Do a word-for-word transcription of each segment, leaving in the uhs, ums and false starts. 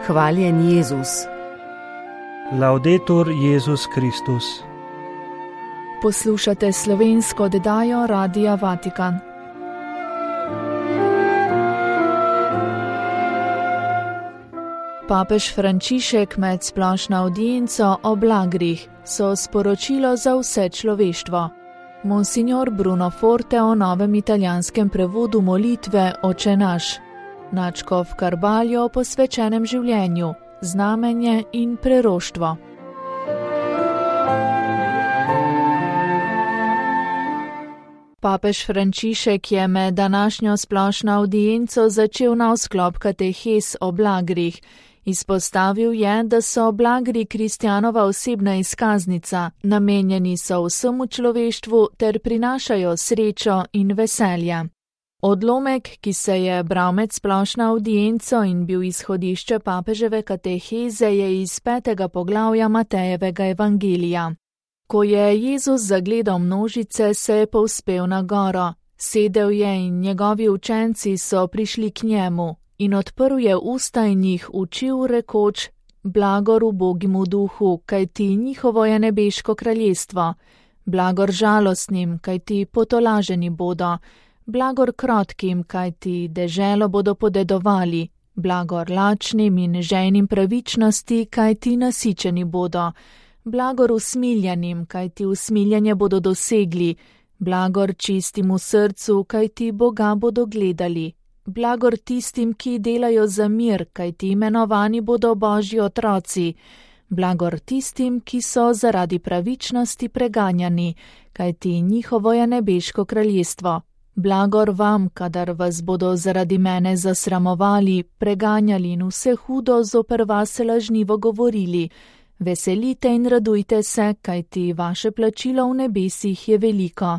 Hvaljen Jezus. Laudetur Jezus Kristus. Poslušate slovensko oddajo Radia Vatikan. Papež Frančišek med splošno avdienco o blagrih so sporočilo za vse človeštvo. Monsignor Bruno Forte o novem italijanskem prevodu molitve Oče naš. Nadškof Carballo o posvečenem življenju, znamenje in preroštvo. Papež Frančišek je med današnjo splošno avdienco začel nov sklop katehes o blagrih. Izpostavil je, da so blagri kristjanova osebna izkaznica, namenjeni so vsemu človeštvu ter prinašajo srečo in veselje. Odlomek, ki se je bral med splošno avdienco in bil izhodišče papeževe kateheze, je iz petega poglavja Matejevega evangelija. Ko je Jezus zagledal množice, se je povzpel na goro, sedel je in njegovi učenci so prišli k njemu in odprl je usta in jih učil, rekoč: blagor ubogim v duhu, kajti njihovo je nebeško kraljestvo, blagor žalostnim, kajti potolaženi bodo, blagor krotkim, kajti deželo bodo podedovali, blagor lačnim in žejnim pravičnosti, kajti nasičeni bodo, blagor usmiljenim, kajti usmiljanje bodo dosegli, blagor čistim v srcu, kajti Boga bodo gledali, blagor tistim, ki delajo za mir, kajti imenovani bodo Božji otroci, blagor tistim, ki so zaradi pravičnosti preganjani, kajti njihovo je nebeško kraljestvo. Blagor vam, kadar vas bodo zaradi mene zasramovali, preganjali in vse hudo zoper vas lažnivo govorili. Veselite in radujte se, kajti vaše plačilo v nebesih je veliko.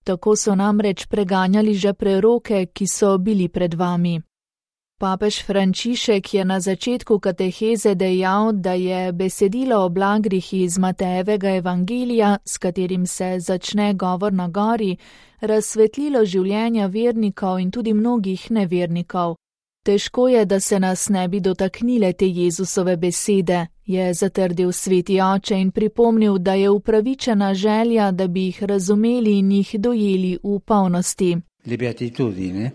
Tako so namreč preganjali že preroke, ki so bili pred vami. Papež Frančišek je na začetku kateheze dejal, da je besedilo o blagrih iz Matejevega evangelija, s katerim se začne govor na gori, razsvetlilo življenja vernikov in tudi mnogih nevernikov. Težko je, da se nas ne bi dotaknile te Jezusove besede, je zatrdil sveti oče in pripomnil, da je upravičena želja, da bi jih razumeli in jih dojeli v polnosti. Le beatitudine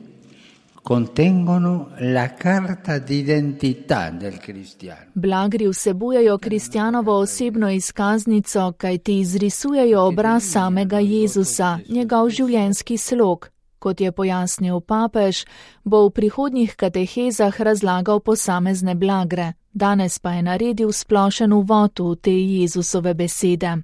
contengono la carta d'identità del cristiano. Blagri vsebujejo kristjanovo osebno izkaznico, kajti izrisujejo obraz samega Jezusa, njegov življenjski slog. Kot je pojasnil papež, bo v prihodnjih katehezah razlagal posamezne blagre, danes pa je naredil splošen uvod v te Jezusove besede.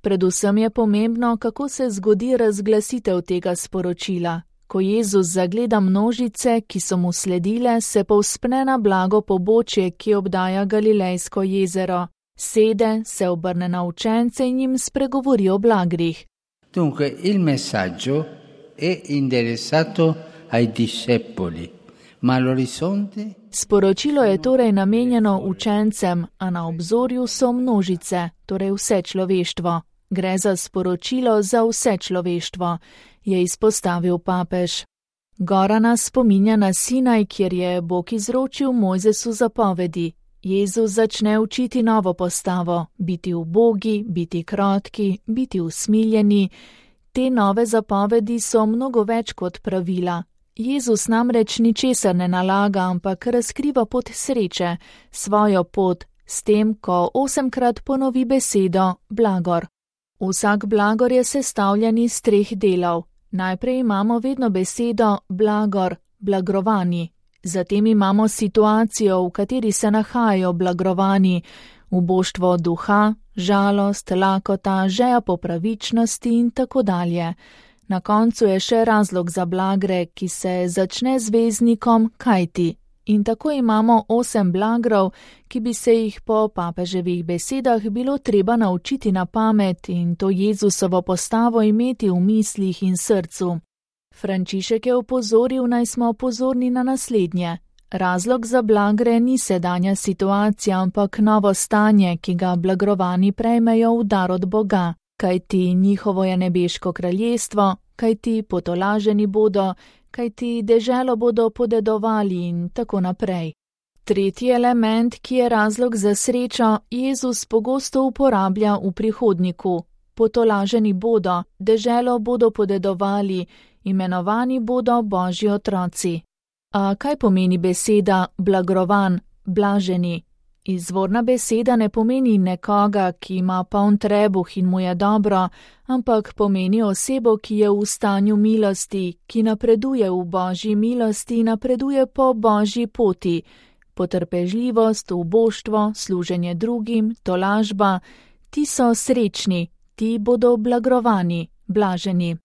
Predvsem je pomembno, kako se zgodi razglasitev tega sporočila. Ko Jezus zagleda množice, ki so mu sledile, se povzpne na blago pobočje, ki obdaja Galilejsko jezero. Sede, se obrne na učence in jim spregovori o blagrih. Dunque, il messaggio è interessato ai discepoli, ma all'orizzonte... Sporočilo je torej namenjeno učencem, a na obzorju so množice, torej vse človeštvo. Gre za sporočilo za vse človeštvo, je izpostavil papež. Gora nas spominja na Sinaj, kjer je Bog izročil Mojzesu zapovedi. Jezus začne učiti novo postavo, biti ubogi, biti krotki, biti usmiljeni. Te nove zapovedi so mnogo več kot pravila. Jezus namreč ničesar ne nalaga, ampak razkriva pot sreče, svojo pot, s tem, ko osemkrat ponovi besedo blagor. Vsak blagor je sestavljen iz treh delov. Najprej imamo vedno besedo blagor, blagrovani. Zatem imamo situacijo, v kateri se nahajajo blagrovani, uboštvo duha, žalost, lakota, žeja po pravičnosti in tako dalje. Na koncu je še razlog za blagre, ki se začne z veznikom kajti. In tako imamo osem blagrov, ki bi se jih po papeževih besedah bilo treba naučiti na pamet in to Jezusovo postavo imeti v mislih in srcu. Frančišek je opozoril, naj smo pozorni na naslednje. Razlog za blagre ni sedanja situacija, ampak novo stanje, ki ga blagrovani prejmejo v dar od Boga, kajti njihovo je nebeško kraljestvo, kajti potolaženi bodo, kajti deželo bodo podedovali in tako naprej. Tretji element, ki je razlog za srečo, Jezus pogosto uporablja v prihodniku. Potolaženi bodo, deželo bodo podedovali, imenovani bodo Božji otroci. A kaj pomeni beseda blagrovan, blaženi? Izvorna beseda ne pomeni nekoga, ki ima poln trebuh in mu je dobro, ampak pomeni osebo, ki je v stanju milosti, ki napreduje v Božji milosti, napreduje po Božji poti. Potrpežljivost, uboštvo, služenje drugim, tolažba, ti so srečni, ti bodo blagrovani, blaženi.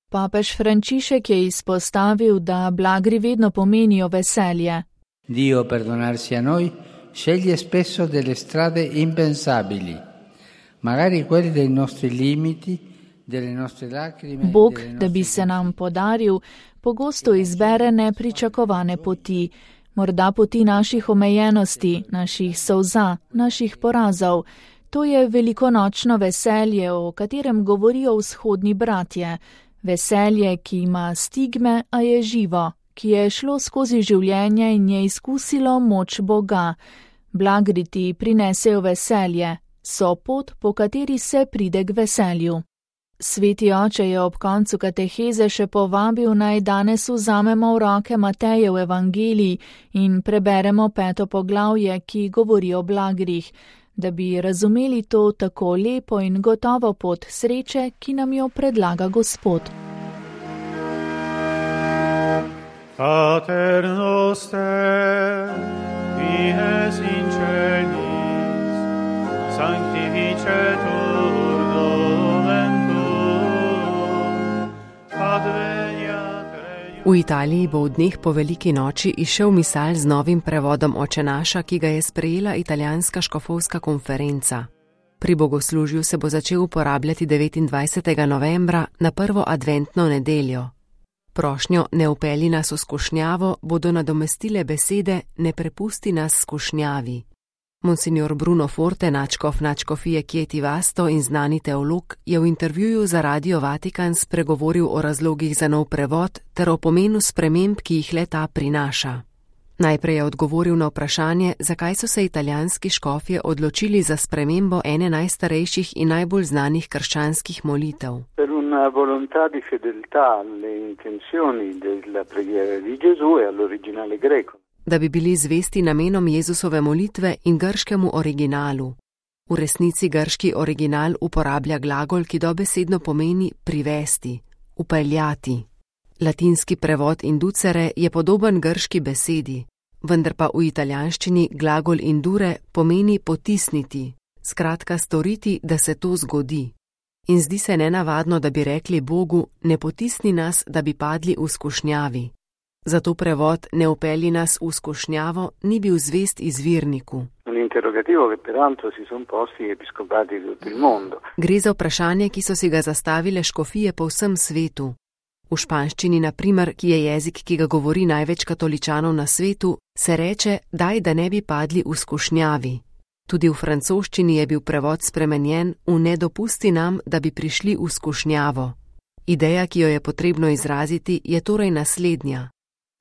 Papež Frančišek je izpostavil, da blagri vedno pomenijo veselje. Dio perdonarsi a noi sceglie spesso delle strade impensabili, magari quelle dei nostri limiti, delle nostre lacrime. Bog, da bi se nam podaril, pogosto izbere nepričakovane poti, morda poti naših omejenosti, naših solza, naših porazov. To je velikonočno veselje, o katerem govorijo vzhodni bratje. Veselje, ki ima stigme, a je živo, ki je šlo skozi življenje in je izkusilo moč Boga. Blagri ti prinesejo veselje, so pot, po kateri se pride k veselju. Sveti oče je ob koncu kateheze še povabil, naj danes vzamemo v roke Matejev evangelij in preberemo peto poglavje, ki govori o blagrih, da bi razumeli to tako lepo in gotovo pot sreče, ki nam jo predlaga Gospod. Pater noster, qui es in celis, sanctificetur nomen tuum, adveniat regnum. V Italiji bo v dneh po veliki noči izšel misal z novim prevodom Oče naša, ki ga je sprejela italijanska škofovska konferenca. Pri bogoslužju se bo začel uporabljati devetindvajsetega novembra na prvo adventno nedeljo. Prošnjo ne upelji nas v skušnjavo bodo nadomestile besede ne prepusti nas skušnjavi. Monsignor Bruno Forte, nadškof nadškofije Chieti Vasto in znani teolog, je v intervjuju za Radio Vatikan spregovoril o razlogih za nov prevod ter o pomenu sprememb, ki jih le-ta prinaša. Najprej je odgovoril na vprašanje, zakaj so se italijanski škofje odločili za spremembo ene najstarejših in najbolj znanih krščanskih molitev. Per una volontà di fedeltà alle intenzioni della preghiera di Gesù e all'originale greco. Da bi bili zvesti namenom Jezusove molitve in grškemu originalu. V resnici grški original uporablja glagol, ki dobesedno pomeni privesti, upeljati. Latinski prevod inducere je podoben grški besedi, vendar pa v italijanščini glagol indure pomeni potisniti, skratka storiti, da se to zgodi. In zdi se nenavadno, da bi rekli Bogu, ne potisni nas, da bi padli v skušnjavi. Zato prevod ne upelji nas v skušnjavo ni bil zvest izvirniku. Gre za vprašanje, ki so si ga zastavile škofije po vsem svetu. V španščini, na primer, ki je jezik, ki ga govori največ katoličanov na svetu, se reče, daj, da ne bi padli v skušnjavi. Tudi v francoščini je bil prevod spremenjen v ne dopusti nam, da bi prišli v skušnjavo. Ideja, ki jo je potrebno izraziti, je torej naslednja.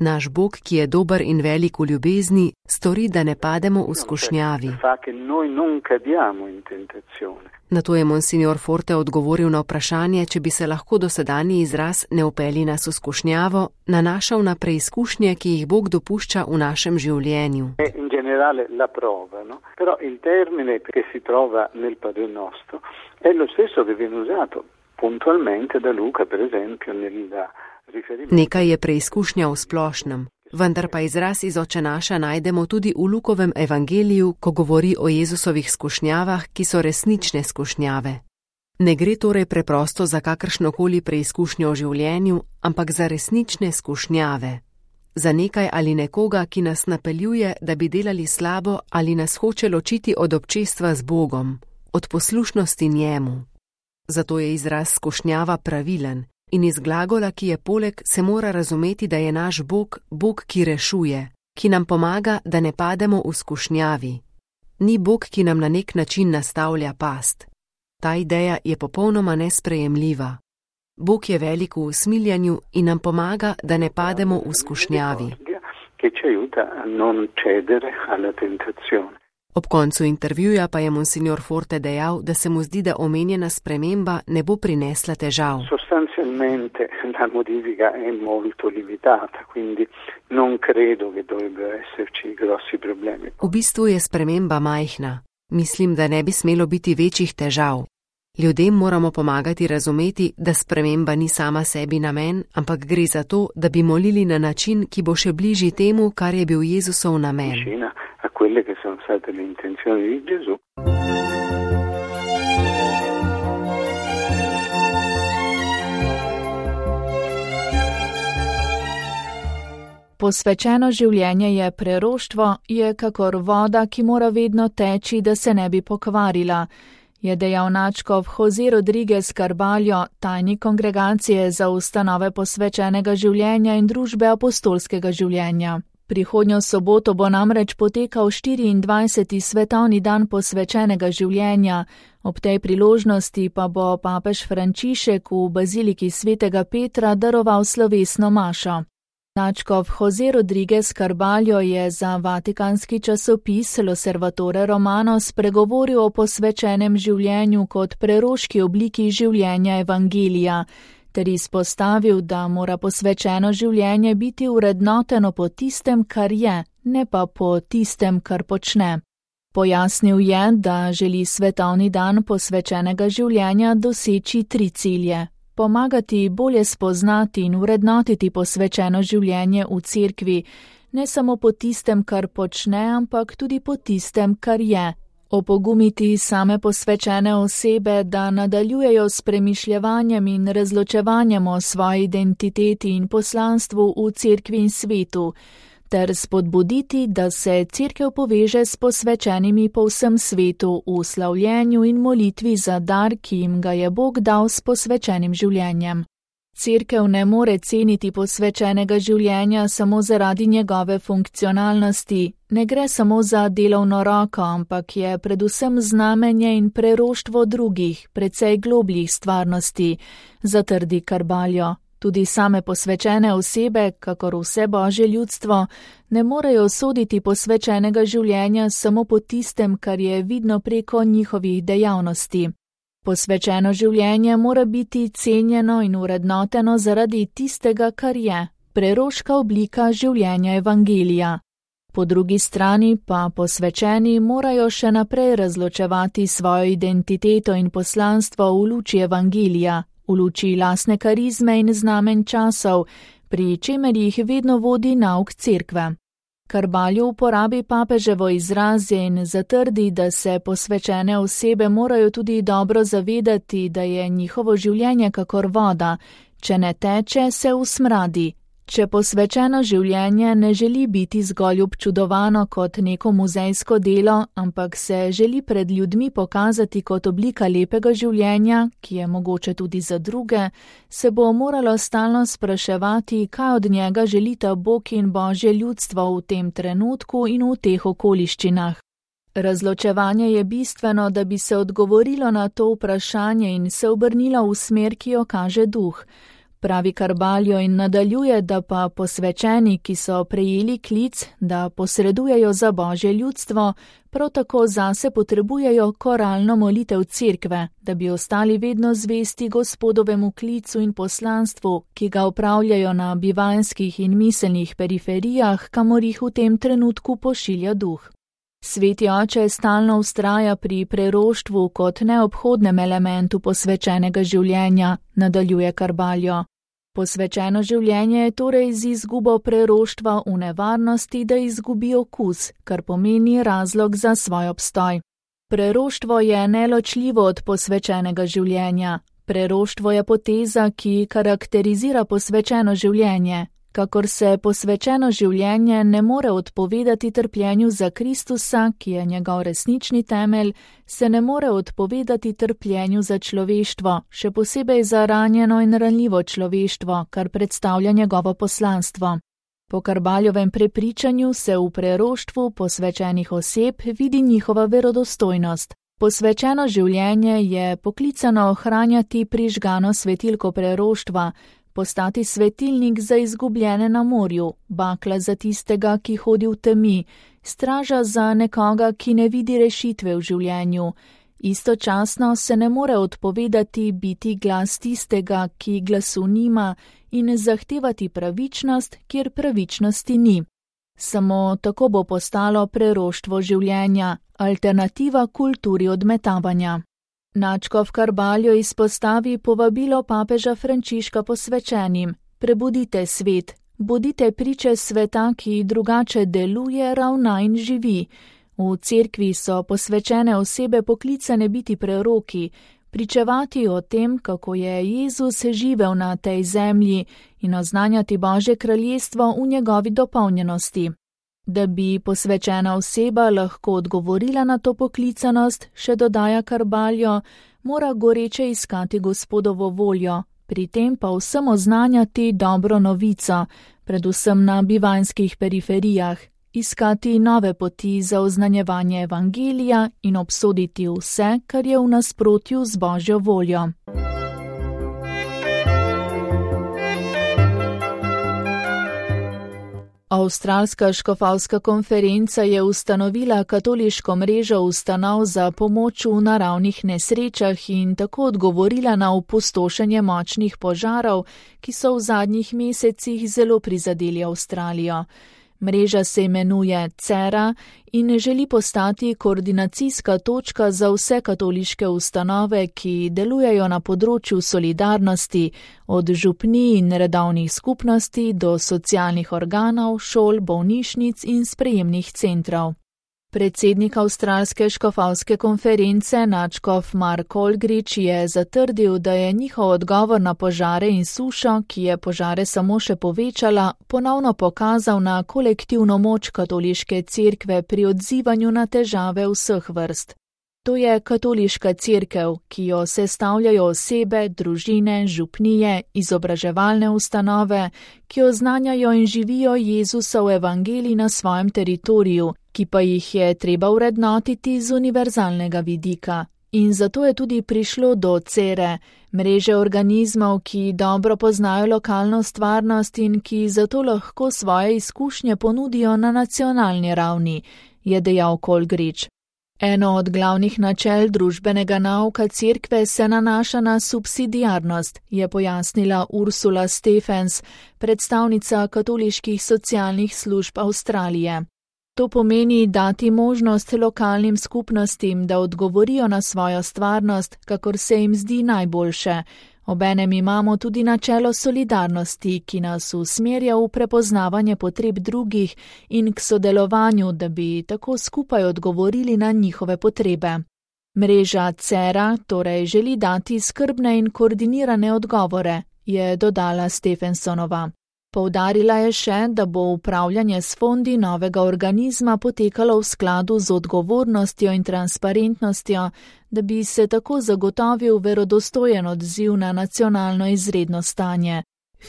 Naš Bog, ki je dober in velik v ljubezni, stori, da ne pademo v skušnjavi. Na to je monsignor Forte odgovoril na vprašanje, če bi se lahko dosedanji izraz ne upelji nas v skušnjavo nanašal na preizkušnje, ki jih Bog dopušča v našem življenju. In generale la prova, no? Però il termine che si trova nel Padre Nostro è lo stesso che viene usato puntualmente da Luca, per esempio, nella Nekaj je preizkušnja v splošnem, vendar pa izraz iz Oče naša najdemo tudi v Lukovem evangeliju, ko govori o Jezusovih skušnjavah, ki so resnične skušnjave. Ne gre torej preprosto za kakršnokoli preizkušnjo v življenju, ampak za resnične skušnjave. Za nekaj ali nekoga, ki nas napeljuje, da bi delali slabo ali nas hoče ločiti od občestva z Bogom, od poslušnosti njemu. Zato je izraz skušnjava pravilen. In iz glagola, ki je poleg, se mora razumeti, da je naš Bog, Bog, ki rešuje, ki nam pomaga, da ne pademo v skušnjavi. Ni Bog, ki nam na nek način nastavlja past. Ta ideja je popolnoma nesprejemljiva. Bog je velik v usmiljanju in nam pomaga, da ne pademo v skušnjavi. che ci aiuta a non cedere alla tentazione. Ob koncu intervjuja pa je monsignor Forte dejal, da se mu zdi, da omenjena sprememba ne bo prinesla težav. Sostanzialmente la modifica è molto limitata, quindi non credo che dovrebbero esserci grossi problemi. V bistvu je sprememba majhna. Mislim, da ne bi smelo biti večjih težav. Ljudem moramo pomagati razumeti, da sprememba ni sama sebi namen, ampak gre za to, da bi molili na način, ki bo še bližji temu, kar je bil Jezusov namen. Vicina a quelle che sono state le intenzioni di Gesù. Posvečeno življenje je preroštvo, je kakor voda, ki mora vedno teči, da se ne bi pokvarila, je dejal nadškof Jose Rodriguez Carballo, tajnik kongregacije za ustanove posvečenega življenja in družbe apostolskega življenja. Prihodnjo soboto bo namreč potekal štiriindvajseti svetovni dan posvečenega življenja, ob tej priložnosti pa bo papež Frančišek v baziliki svetega Petra daroval slovesno mašo. Nadškof Jose Rodriguez Carballo je za vatikanski časopis L'Osservatore Romano spregovoril o posvečenem življenju kot preroški obliki življenja evangelija, ter izpostavil, da mora posvečeno življenje biti urednoteno po tistem, kar je, ne pa po tistem, kar počne. Pojasnil je, da želi svetovni dan posvečenega življenja doseči tri cilje. Pomagati bolje spoznati in urednotiti posvečeno življenje v cerkvi, ne samo po tistem, kar počne, ampak tudi po tistem, kar je. Opogumiti same posvečene osebe, da nadaljujejo s premišljevanjem in razločevanjem o svoji identiteti in poslanstvu v cerkvi in svetu, ter spodbuditi, da se cerkev poveže s posvečenimi po vsem svetu v slavljenju in molitvi za dar, ki jim ga je Bog dal s posvečenim življenjem. Cerkev ne more ceniti posvečenega življenja samo zaradi njegove funkcionalnosti, ne gre samo za delovno roko, ampak je predvsem znamenje in preroštvo drugih, precej globljih stvarnosti, zatrdi Carballo. Tudi same posvečene osebe, kakor vse božje ljudstvo, ne morejo soditi posvečenega življenja samo po tistem, kar je vidno preko njihovih dejavnosti. Posvečeno življenje mora biti cenjeno in urednoteno zaradi tistega, kar je, preroška oblika življenja evangelija. Po drugi strani pa posvečeni morajo še naprej razločevati svojo identiteto in poslanstvo v luči evangelija, v luči lastne karizme in znamen časov, pri čemer jih vedno vodi nauk cerkve. Carballo uporabi papeževo izraze in zatrdi, da se posvečene osebe morajo tudi dobro zavedati, da je njihovo življenje kakor voda, če ne teče, se usmradi. Če posvečeno življenje ne želi biti zgolj občudovano kot neko muzejsko delo, ampak se želi pred ljudmi pokazati kot oblika lepega življenja, ki je mogoče tudi za druge, se bo moralo stalno spraševati, kaj od njega želita Bog in božje ljudstvo v tem trenutku in v teh okoliščinah. Razločevanje je bistveno, da bi se odgovorilo na to vprašanje in se obrnilo v smer, ki jo kaže duh. Pravi Carballo in nadaljuje, da pa posvečeni, ki so prejeli klic, da posredujejo za božje ljudstvo, prav tako zase potrebujejo koralno molitev cerkve, da bi ostali vedno zvesti Gospodovemu klicu in poslanstvu, ki ga opravljajo na bivanjskih in miselnih periferijah, kamor jih v tem trenutku pošilja duh. Sveti oče stalno vztraja pri preroštvu kot neobhodnem elementu posvečenega življenja, nadaljuje Carballo. Posvečeno življenje je torej z izgubo preroštva v nevarnosti, da izgubi okus, kar pomeni razlog za svoj obstoj. Preroštvo je neločljivo od posvečenega življenja. Preroštvo je poteza, ki karakterizira posvečeno življenje. Kakor se posvečeno življenje ne more odpovedati trpljenju za Kristusa, ki je njegov resnični temelj, se ne more odpovedati trpljenju za človeštvo, še posebej za ranjeno in ranljivo človeštvo, kar predstavlja njegovo poslanstvo. Po Carballovem prepričanju se v preroštvu posvečenih oseb vidi njihova verodostojnost. Posvečeno življenje je poklicano ohranjati prižgano svetilko preroštva, postati svetilnik za izgubljene na morju, bakla za tistega, ki hodi v temi, straža za nekoga, ki ne vidi rešitve v življenju. Istočasno se ne more odpovedati biti glas tistega, ki glasu nima, in zahtevati pravičnost, kjer pravičnosti ni. Samo tako bo postalo preroštvo življenja, alternativa kulturi odmetavanja. Nadškof Carballo izpostavi povabilo papeža Frančiška posvečenim: prebudite svet, bodite priče sveta, ki drugače deluje, ravna in živi. V cerkvi so posvečene osebe poklicane biti preroki, pričevati o tem, kako je Jezus živel na tej zemlji in oznanjati Božje kraljestvo v njegovi dopolnjenosti. Da bi posvečena oseba lahko odgovorila na to poklicanost, še dodaja Carballo, mora goreče iskati Gospodovo voljo, pri tem pa vsem oznanjati dobro novico, predvsem na bivanjskih periferijah, iskati nove poti za oznanjevanje evangelija in obsoditi vse, kar je v nasprotju z Božjo voljo. Avstralska škofovska konferenca je ustanovila katoliško mrežo ustanov za pomoč v naravnih nesrečah in tako odgovorila na opustošenje močnih požarov, ki so v zadnjih mesecih zelo prizadeli Avstralijo. Mreža se imenuje Cera in želi postati koordinacijska točka za vse katoliške ustanove, ki delujejo na področju solidarnosti, od župnij in redovnih skupnosti do socialnih organov, šol, bolnišnic in sprejemnih centrov. Predsednik Avstralske škofovske konference, nadškof Mark Olgrič, je zatrdil, da je njihov odgovor na požare in sušo, ki je požare samo še povečala, ponovno pokazal na kolektivno moč katoliške cerkve pri odzivanju na težave vseh vrst. To je katoliška cerkev, ki jo sestavljajo osebe, družine, župnije, izobraževalne ustanove, ki oznanjajo in živijo Jezusov evangelij na svojem teritoriju, ki pa jih je treba vrednotiti z univerzalnega vidika. In zato je tudi prišlo do Cere, mreže organizmov, ki dobro poznajo lokalno stvarnost in ki zato lahko svoje izkušnje ponudijo na nacionalni ravni, je dejal Olgrič. Eno od glavnih načel družbenega nauka cerkve se nanaša na subsidiarnost, je pojasnila Ursula Stephens, predstavnica katoliških socialnih služb Avstralije. To pomeni dati možnost lokalnim skupnostim, da odgovorijo na svojo stvarnost, kakor se jim zdi najboljše. Obenem imamo tudi načelo solidarnosti, ki nas usmerja v prepoznavanje potreb drugih in k sodelovanju, da bi tako skupaj odgovorili na njihove potrebe. Mreža Cera torej želi dati skrbne in koordinirane odgovore, je dodala Stephensonova. Poudarila je še, da bo upravljanje s fondi novega organizma potekalo v skladu z odgovornostjo in transparentnostjo, da bi se tako zagotovil verodostojen odziv na nacionalno izredno stanje.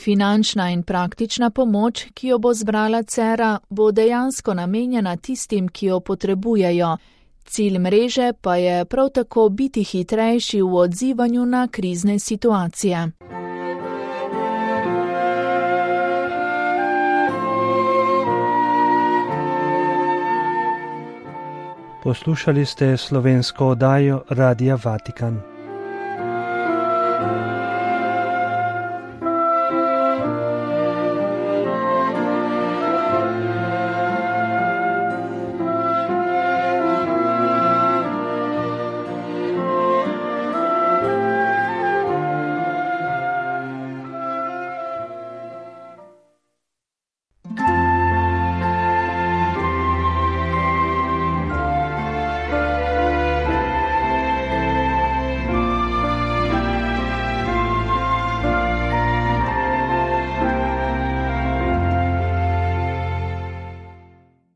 Finančna in praktična pomoč, ki jo bo zbrala Cera, bo dejansko namenjena tistim, ki jo potrebujejo. Cilj mreže pa je prav tako biti hitrejši v odzivanju na krizne situacije. Poslušali ste slovensko oddajo Radia Vatikan.